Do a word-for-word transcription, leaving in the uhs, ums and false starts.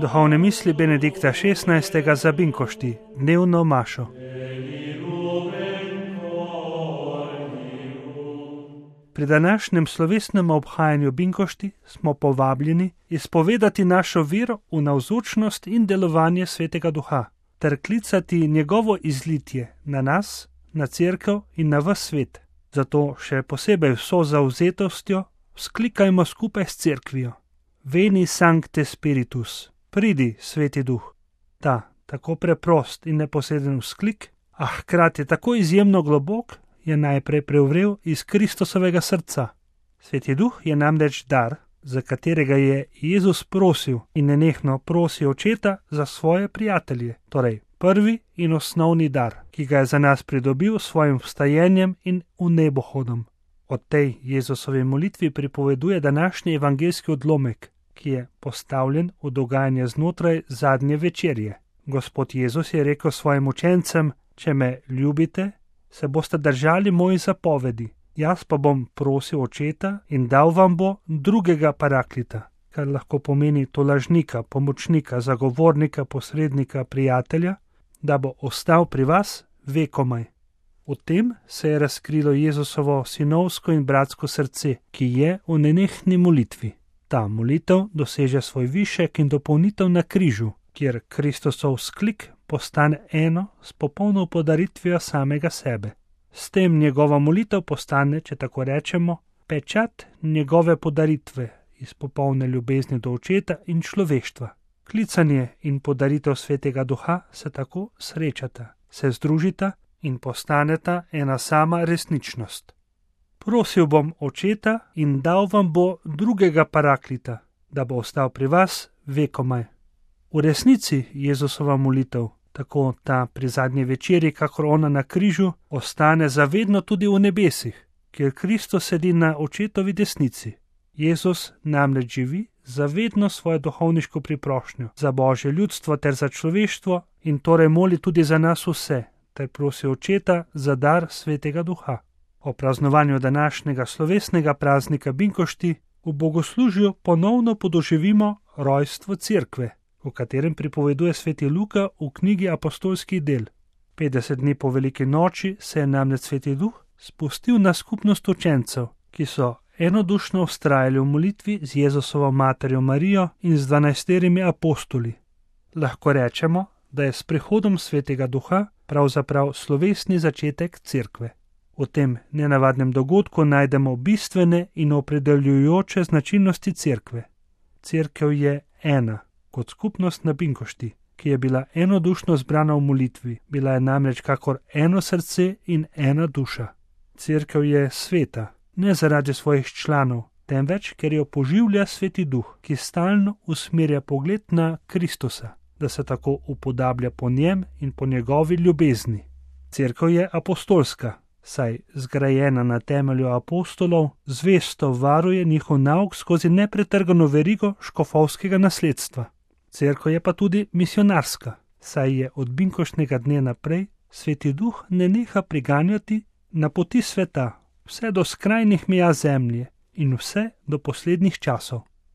Duhovne misli Benedikta šestnajstega za Binkošti, dnevno mašo. Pri današnjem slovesnem obhajanju Binkošti smo povabljeni izpovedati našo vero v navzočnost in delovanje Svetega Duha, ter klicati njegovo izlitje na nas, na cerkev in na ves svet. Zato še posebej vso zavzetostjo vzklikajmo skupaj s cerkvijo. Veni Sancte Spiritus, pridi, Sveti Duh. Ta, tako preprost in neposreden vzklik, a hkrati tako izjemno globok, je najprej prevrel iz Kristusovega srca. Sveti Duh je namreč dar, za katerega je Jezus prosil in nenehno prosil Očeta za svoje prijatelje, torej prvi in osnovni dar, ki ga je za nas pridobil s svojim vstajenjem in v nebohodom. O tej Jezusovi molitvi pripoveduje današnji evangeljski odlomek, ki je postavljen v dogajanje znotraj zadnje večerje. Gospod Jezus je rekel svojim učencem: če me ljubite, se boste držali mojih zapovedi, jaz pa bom prosil Očeta in dal vam bo drugega paraklita, kar lahko pomeni tolažnika, pomočnika, zagovornika, posrednika, prijatelja, da bo ostal pri vas vekomaj. V tem se je razkrilo Jezusovo sinovsko in bratsko srce, ki je v nenehni molitvi. Ta molitev doseže svoj višek in dopolnitev na križu, kjer Kristusov vzklik postane eno s popolno podaritvijo samega sebe. S tem njegova molitev postane, če tako rečemo, pečat njegove podaritve iz popolne ljubezni do Očeta in človeštva. Klicanje in podaritev Svetega Duha se tako srečata, se združita in postaneta ena sama resničnost. Prosil bom Očeta in dal vam bo drugega paraklita, da bo ostal pri vas vekomaj. V resnici Jezusova molitev, tako ta pri zadnji večeri, kakor ona na križu, ostane zavedno tudi v nebesih, kjer Kristus sedi na Očetovi desnici. Jezus namreč živi zavedno svojo duhovniško priprošnjo za Božje ljudstvo ter za človeštvo in torej moli tudi za nas vse, ter prosi Očeta za dar Svetega Duha. O praznovanju današnjega slovesnega praznika Binkošti v bogoslužju ponovno podoživimo rojstvo cerkve, v katerem pripoveduje sveti Luka v knjigi Apostolskih del. petdeset dni po veliki noči se je namreč Sveti Duh spustil na skupnost učencev, ki so enodušno vztrajali v molitvi z Jezusovo materjo Marijo in z dvanajsterimi apostoli. Lahko rečemo, da je s prihodom Svetega Duha pravzaprav slovesni začetek cerkve. V tem nenavadnem dogodku najdemo bistvene in opredeljujoče značilnosti cerkve. Cerkev je ena, kot skupnost na Binkošti, ki je bila enodušno zbrana v molitvi, bila je namreč kakor eno srce in ena duša. Cerkev je sveta, ne zaradi svojih članov, temveč ker jo poživlja Sveti Duh, ki stalno usmerja pogled na Kristusa, da se tako upodablja po njem in po njegovi ljubezni. Cerkev je apostolska, saj zgrajena na temelju apostolov, zvesto varuje njihov nauk skozi nepretrgano verigo škofovskega nasledstva. Cerkev je pa tudi misionarska, saj je od binkoštnega dne naprej Sveti Duh neneha priganjati na poti sveta, vse do skrajnih meja zemlje in vse do poslednjih časov.